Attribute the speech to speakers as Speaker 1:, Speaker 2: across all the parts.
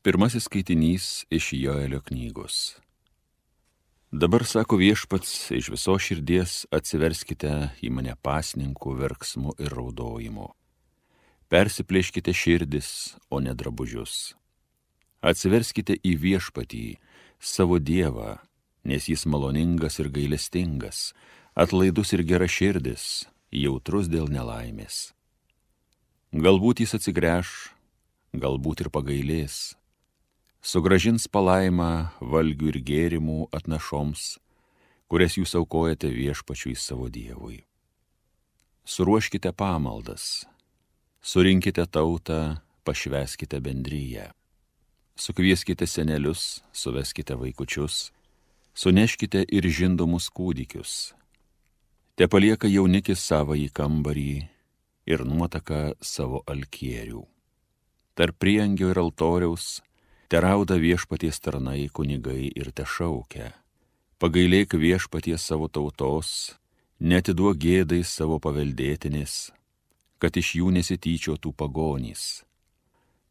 Speaker 1: Pirmasis skaitinys iš Joelio knygos. Dabar, sako Viešpats, iš visos širdies atsiverskite į mane pasninkų verksmu ir raudojimu. Persiplėškite širdis, o ne drabužius. Atsiverskite į Viešpatį, savo Dievą, nes jis maloningas ir gailestingas, atlaidus ir geraširdis, jautrus dėl nelaimės. Galbūt jis atsigręš, galbūt ir pagailės. Sugrąžins palaimą valgių ir gėrimų atnašoms, kurias jūs aukojate Viešpačiui savo Dievui. Suruoškite pamaldas, surinkite tautą, pašvęskite bendryją. Sukvieskite senelius, suveskite vaikučius, suneškite ir žindomus kūdikius. Te palieka jaunikis savąjį kambarį ir nuotaka savo alkierių. Tarp priengio ir altoriaus terauda Viešpaties tarnai kunigai ir tešaukia. Pagailėk Viešpaties savo tautos, neatiduok gėdai savo paveldėtinės, kad iš jų nesityčiotų pagonys.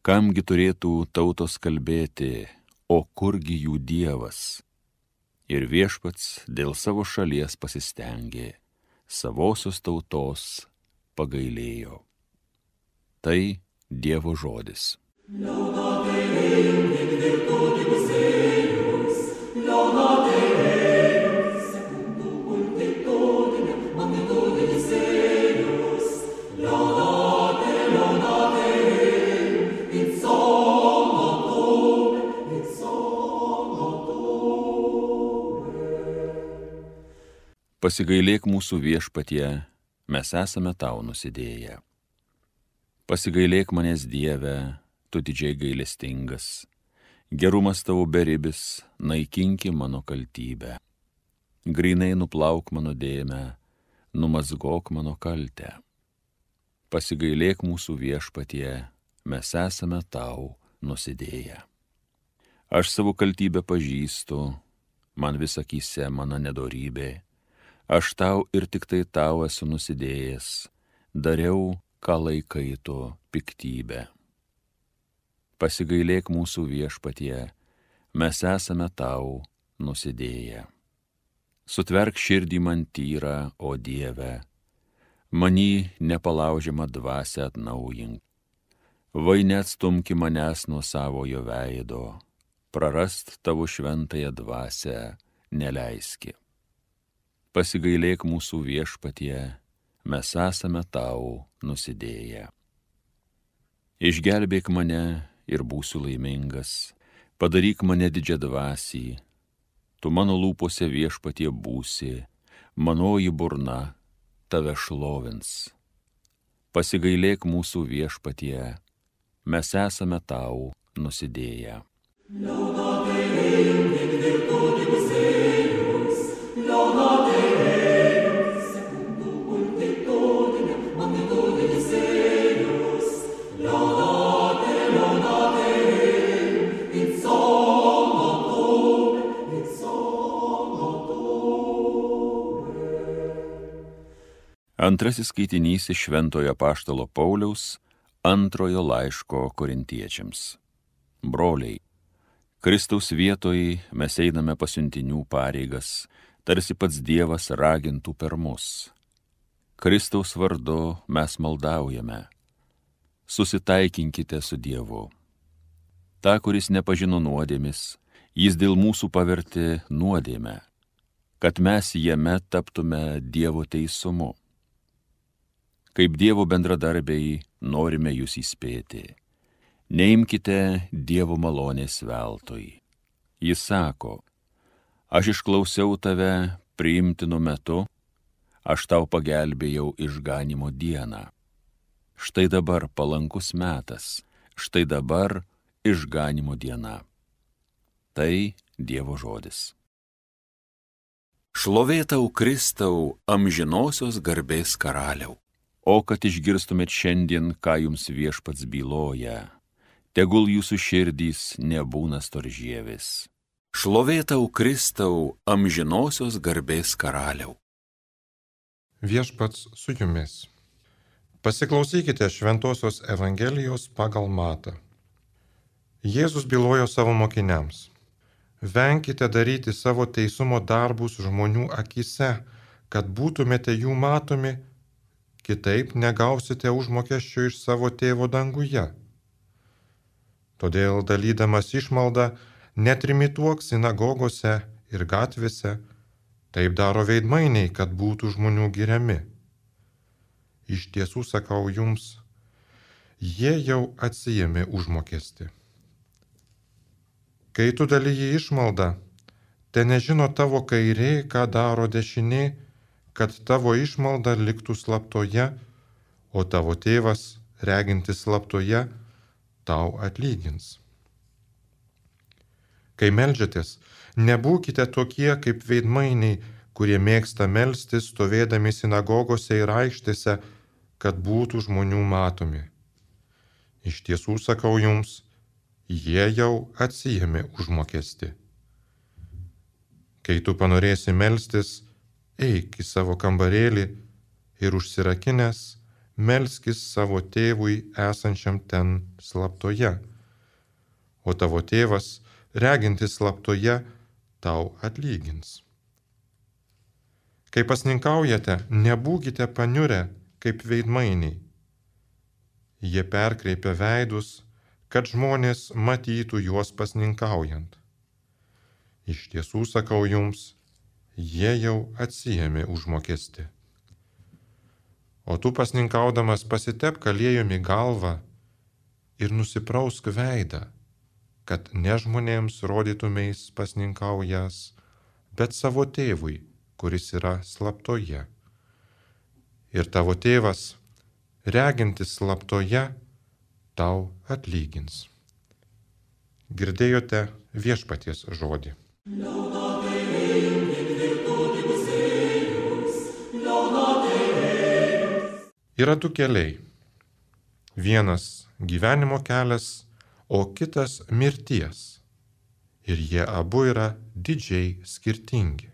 Speaker 1: Kamgi turėtų tautos kalbėti, o kurgi jų Dievas? Ir Viešpats dėl savo šalies pasistengė, savosios tautos pagailėjo. Tai Dievo žodis. Pasigailėk mūsų Viešpatie, mes esame tau nusidėję. Pasigailėk manęs Dieve, tu didžiai gailestingas, gerumas tavo beribis, naikinki mano kaltybę. Grynai nuplauk mano dėmę, numazgok mano kaltę. Pasigailėk mūsų Viešpatie, mes esame tau nusidėję. Aš savo kaltybę pažįstu, man vis akyse mano nedorybė, aš tau ir tik tai tau esu nusidėjęs, dariau, ką laikai tu piktybę. Pasigailėk mūsų Viešpatie, mes esame tau nusidėję. Sutverk širdį man tyrą, o Dieve, many nepalaužiamą dvasią atnaujink. Vai neatstumki manęs nuo savojo veido, prarast tavo šventąją dvasią neleiski. Pasigailėk mūsų Viešpatie, mes esame tau nusidėję. Išgelbėk mane ir būsiu laimingas, padaryk mane didžiadvasį, tu mano lūpose Viešpatie būsi, manoji burna tave šlovins. Pasigailėk mūsų Viešpatie, mes esame tau nusidėję. Antrasis skaitinys iš Šventojo apaštalo Pauliaus antrojo laiško korintiečiams. Broliai, Kristaus vietoj mes einame pasiuntinių pareigas, tarsi pats Dievas ragintų per mus. Kristaus vardu mes maldaujame. Susitaikinkite su Dievu. Ta, kuris nepažino nuodėmis, jis dėl mūsų pavertė nuodėmę, kad mes jame taptume Dievo teisumu. Kaip Dievo bendradarbiai norime jūs įspėti. Neimkite Dievo malonės veltui. Jis sako, aš išklausiau tave priimtinu metu, aš tau pagelbėjau išganimo dieną. Štai dabar palankus metas, štai dabar išganimo diena. Tai Dievo žodis. Šlovė tau, Kristau, amžinosios garbės karaliau. O kad išgirstumėt šiandien, ką jums Viešpats byloja, tegul jūsų širdys nebūna storžievis. Šlovė tau, Kristau, amžinosios garbės karaliau.
Speaker 2: Viešpats su jumis. Pasiklausykite Šventosios Evangelijos pagal Matą. Jėzus bylojo savo mokiniams: venkite daryti savo teisumo darbus žmonių akyse, kad būtumėte jų matomi, kitaip negausite užmokesčio iš savo tėvo danguje. Todėl dalydamas išmaldą netrimituok sinagogose ir gatvėse, taip daro veidmainiai, kad būtų žmonių giriami. Iš tiesų sakau jums, jie jau atsiėmė užmokestį. Kai tu dalyji išmaldą, te nežino tavo kairė, ką daro dešinė, kad tavo išmalda liktų slaptoje, o tavo tėvas, regintis slaptoje, tau atlygins. Kai meldžiatės, nebūkite tokie kaip veidmainiai, kurie mėgsta melstis stovėdami sinagogose ir aikštėse, kad būtų žmonių matomi. Iš tiesų sakau jums, jie jau atsiėmė užmokestį. Kai tu panorėsi melstis, eik į savo kambarėlį ir užsirakinęs melskis savo tėvui esančiam ten slaptoje, o tavo tėvas, regintis slaptoje, tau atlygins. Kai pasninkaujate, nebūkite paniurę kaip veidmainiai. Jie perkreipia veidus, kad žmonės matytų juos pasninkaujant. Iš tiesų sakau jums, jie jau atsiėmė užmokestį. O tu pasninkaudamas pasitepk aliejumi galvą ir nusiprausk veidą, kad ne žmonėms rodytumeis pasninkaujas, bet savo tėvui, kuris yra slaptoje. Ir tavo tėvas, regintis slaptoje, tau atlygins. Girdėjote viešpaties žodį. Yra du keliai. Vienas gyvenimo kelias, o kitas mirties. Ir jie abu yra didžiai skirtingi.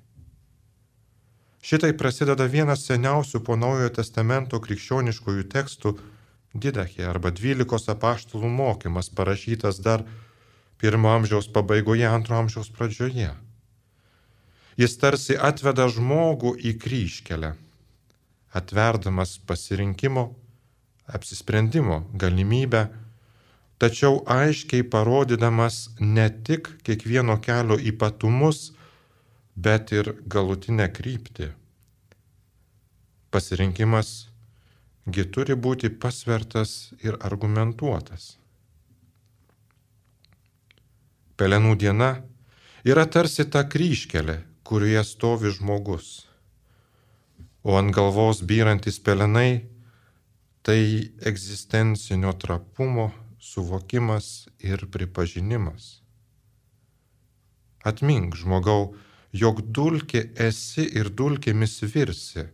Speaker 2: Šitai prasideda vienas seniausių po Naujojo testamento krikščioniškųjų tekstų Didachė arba 12 apaštalų mokymas, parašytas dar 1 amžiaus pabaigoje, 2 amžiaus pradžioje. Jis tarsi atveda žmogų į kryžkelę, atverdamas pasirinkimo, apsisprendimo galimybę, tačiau aiškiai parodydamas ne tik kiekvieno kelio ypatumus, bet ir galutinę kryptį. Pasirinkimas gi turi būti pasvertas ir argumentuotas. Pelenų diena yra tarsi ta kryžkelė, kurioje stovi žmogus, o ant galvos byrantis pelenai tai egzistencinio trapumo suvokimas ir pripažinimas. Atmink, žmogau, jog dulkė esi ir dulkėmis virsi.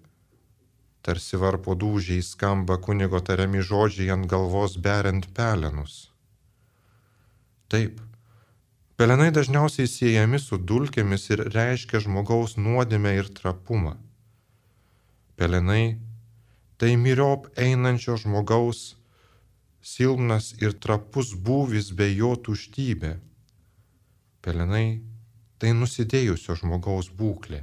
Speaker 2: Tarsi varpo dūžiai skamba kunigo tariami žodžiai ant galvos beriant pelenus. Taip, pelenai dažniausiai siejami su dulkėmis ir reiškia žmogaus nuodėmę ir trapumą. Pelenai tai myriop einančio žmogaus silpnas ir trapus būvis bei jo tuštybė. Pelenai tai nusidėjusio žmogaus būklė.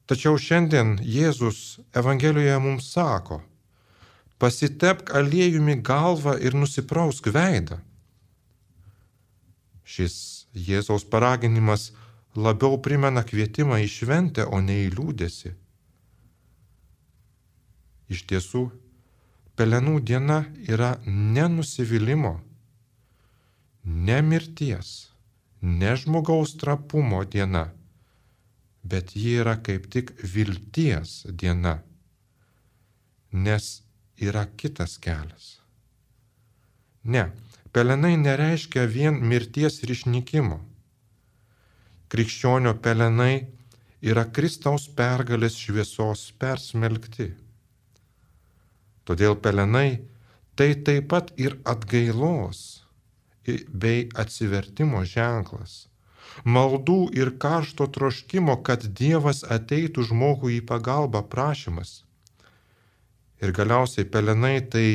Speaker 2: Tačiau šiandien Jėzus Evangelijoje mums sako: pasitepk aliejumi galvą ir nusiprausk veidą. Šis Jėzaus paraginimas labiau primena kvietimą į šventę, o ne į liūdesį. Iš tiesų, pelenų diena yra ne nusivylimo, ne mirties, ne žmogaus trapumo diena, bet ji yra kaip tik vilties diena, nes yra kitas kelias. Ne, pelenai nereiškia vien mirties ir išnykimo. Krikščionio pelenai yra Kristaus pergalės šviesos persmelkti. Todėl pelenai tai taip pat ir atgailos bei atsivertimo ženklas, maldų ir karšto troškimo, kad Dievas ateitų žmogui į pagalbą prašymas. Ir galiausiai pelenai tai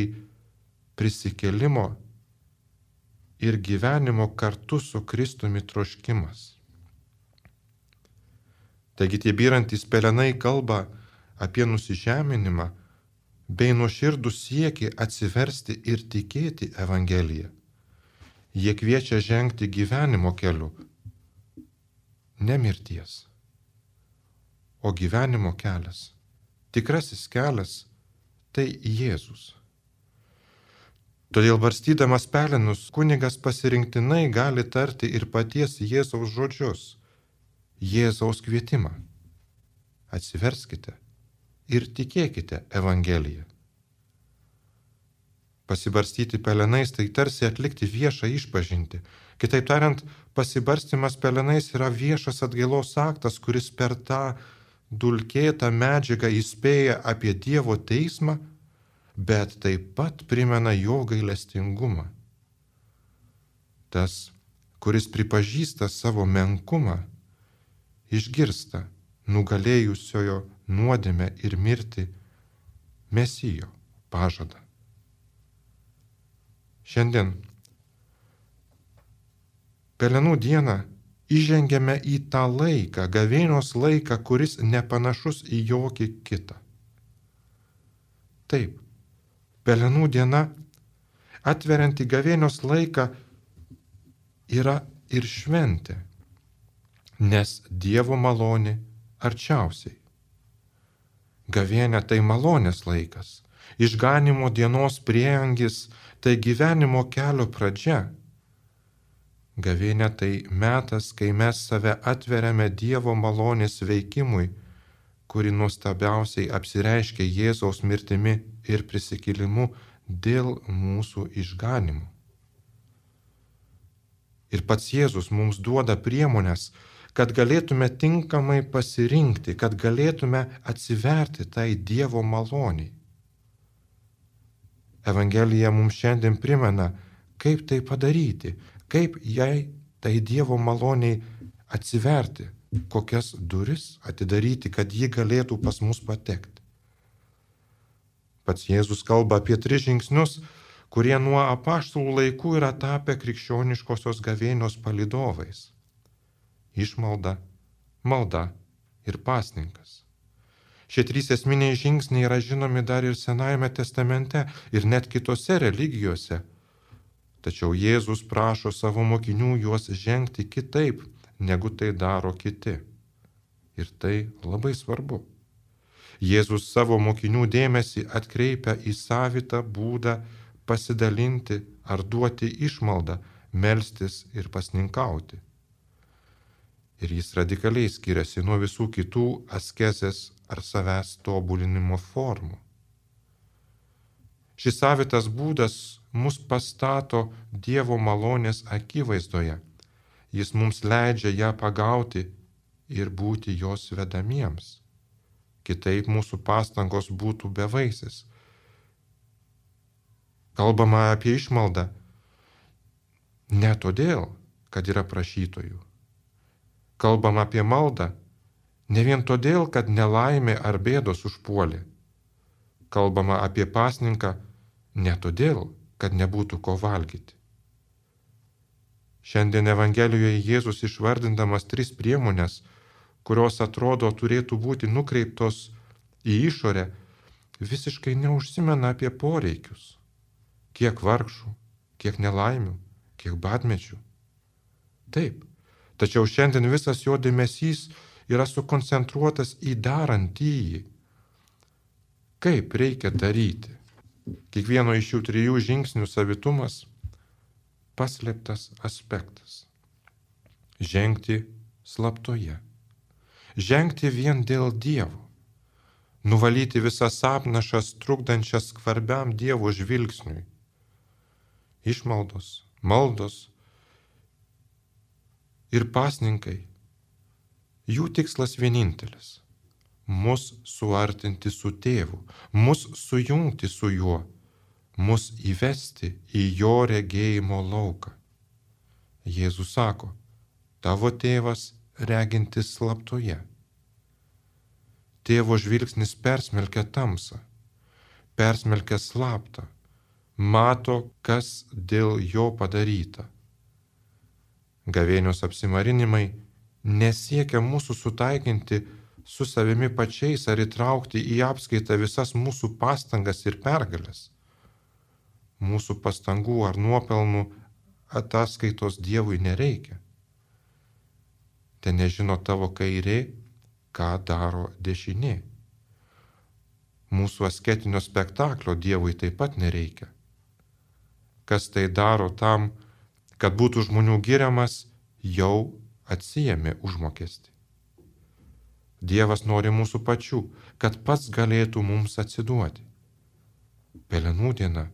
Speaker 2: prisikėlimo ir gyvenimo kartu su Kristumi troškimas. Taigi tie byrantys pelenai kalba apie nusižeminimą bei nuoširdų siekį atsiversti ir tikėti Evangeliją. Jie kviečia žengti gyvenimo keliu, ne mirties, o gyvenimo kelias. Tikrasis kelias tai Jėzus. Todėl barstydamas pelenus kunigas pasirinktinai gali tarti ir paties Jėzaus žodžius, Jėzaus kvietimą. Atsiverskite ir tikėkite Evangeliją. Pasibarstyti pelenais tai tarsi atlikti viešą išpažintį. Kitaip tariant, pasibarstymas pelenais yra viešas atgailos aktas, kuris per tą dulkėtą medžiagą įspėja apie Dievo teismą, bet taip pat primena jo gailestingumą. Tas, kuris pripažįsta savo menkumą, išgirsta nugalėjusiojo nuodėmę ir mirtį Mesijo pažadą. Šiandien, pelenų dieną, įžengiame į tą laiką, gavėnios laiką, kuris nepanašus į jokį kitą. Taip, pelenų diena, atverianti gavėnios laiką, yra ir šventė, nes Dievo malonė arčiausiai. Gavėnia tai malonės laikas, išganimo dienos prieangis, tai gyvenimo kelio pradžia. Gavėnia tai metas, kai mes save atveriame Dievo malonės veikimui, kuri nuostabiausiai apsireiškia Jėzaus mirtimi ir prisikėlimu dėl mūsų išganimų. Ir pats Jėzus mums duoda priemonės, kad galėtume tinkamai pasirinkti, kad galėtume atsiverti tai Dievo maloniai. Evangelija mums šiandien primena, kaip tai padaryti, kaip jai tai Dievo maloniai atsiverti, kokias duris atidaryti, kad ji galėtų pas mus patekti. Pats Jėzus kalba apie 3 žingsnius, kurie nuo apaštalų laikų yra tapę krikščioniškosios gavėnios palydovais. Išmalda, malda ir pasninkas. Šie 3 esminiai žingsniai yra žinomi dar ir Senajame testamente ir net kitose religijose. Tačiau Jėzus prašo savo mokinių juos žengti kitaip, negu tai daro kiti. Ir tai labai svarbu. Jėzus savo mokinių dėmesį atkreipia į savitą būdą pasidalinti ar duoti išmaldą, melstis ir pasninkauti. Ir jis radikaliai skiriasi nuo visų kitų askezės ar savęs tobulinimo formų. Šis savitas būdas mus pastato Dievo malonės akivaizdoje. Jis mums leidžia ją pagauti ir būti jos vedamiems. Kitaip mūsų pastangos būtų bevaisės. Kalbama apie išmaldą ne todėl, kad yra prašytojų. Kalbama apie maldą ne vien todėl, kad nelaimė ar bėdos užpuolė. Kalbama apie pasninką ne todėl, kad nebūtų ko valgyti. Šiandien Evangelijoje Jėzus išvardindamas 3 priemonės, kurios atrodo turėtų būti nukreiptos į išorę, visiškai neužsimena apie poreikius. Kiek vargšų, kiek nelaimių, kiek badmečių. Taip, tačiau šiandien visas jo dėmesys yra sukoncentruotas į darantįjį. Kaip reikia daryti? Kiekvieno iš šių 3 žingsnių savitumas – paslėptas aspektas. Žengti slaptoje. Žengti vien dėl Dievo. Nuvalyti visas apnašas trukdančias skvarbiam Dievo žvilgsniui. Išmaldos, maldos ir pasninkai. Jų tikslas vienintelis – mus suartinti su Tėvu, mus sujungti su Juo, mus įvesti į Jo regėjimo lauką. Jėzus sako, tavo Tėvas regintis slaptoje. Tėvo žvilgsnis persmelkia tamsą, persmelkia slaptą, mato, kas dėl jo padaryta, Gavėnios apsimarinimai nesiekia mūsų sutaikinti su savimi pačiais ar įtraukti į apskaitą visas mūsų pastangas ir pergalės. Mūsų pastangų ar nuopelnų ataskaitos Dievui nereikia. Te nežino tavo kairė, ką daro dešinė. Mūsų asketinio spektaklio Dievui taip pat nereikia. Kas tai daro tam, kad būtų žmonių giriamas, jau atsijėmė užmokestį. Dievas nori mūsų pačių, kad pats galėtų mums atsiduoti. Pelenų diena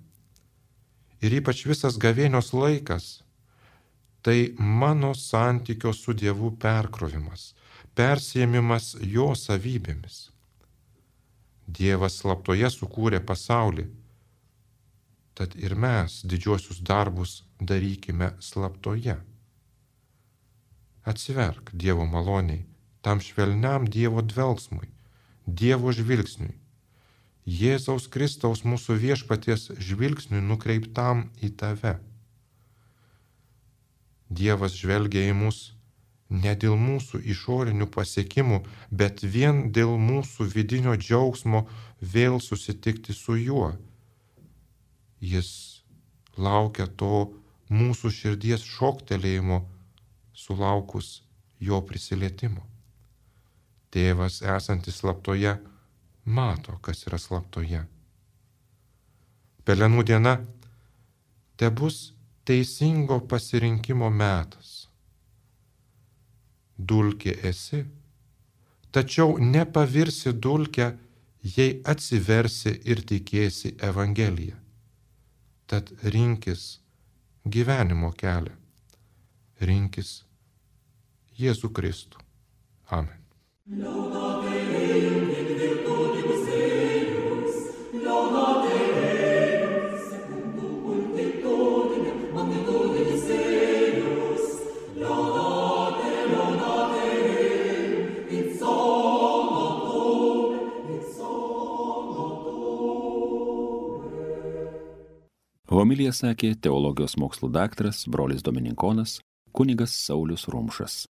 Speaker 2: ir ypač visas gavėnios laikas - tai mano santykio su Dievu perkrovimas, persiėmimas jo savybėmis. Dievas slaptoje sukūrė pasaulį, tad ir mes didžiuosius darbus darykime slaptoje. Atsiverk Dievo maloniai, tam švelniam Dievo dvelgsmui, Dievo žvilgsniui, Jėzaus Kristaus mūsų viešpaties žvilgsniui nukreiptam į tave. Dievas žvelgia į mus ne dėl mūsų išorinių pasiekimų, bet vien dėl mūsų vidinio džiaugsmo vėl susitikti su juo. Jis laukia to mūsų širdies šoktelėjimo sulaukus jo prisilietimo. Tėvas esantis slaptoje mato, kas yra slaptoje. Pelenų diena tebus teisingo pasirinkimo metas. Dulkė esi, tačiau nepavirsi dulkę, jei atsiversi ir tikėsi Evangeliją. Tad rinkis gyvenimo kelią, rinkis Jėzų Kristų. Amen.
Speaker 1: Homiliją sakė teologijos mokslų daktaras brolis dominikonas kunigas Saulius Rumšas.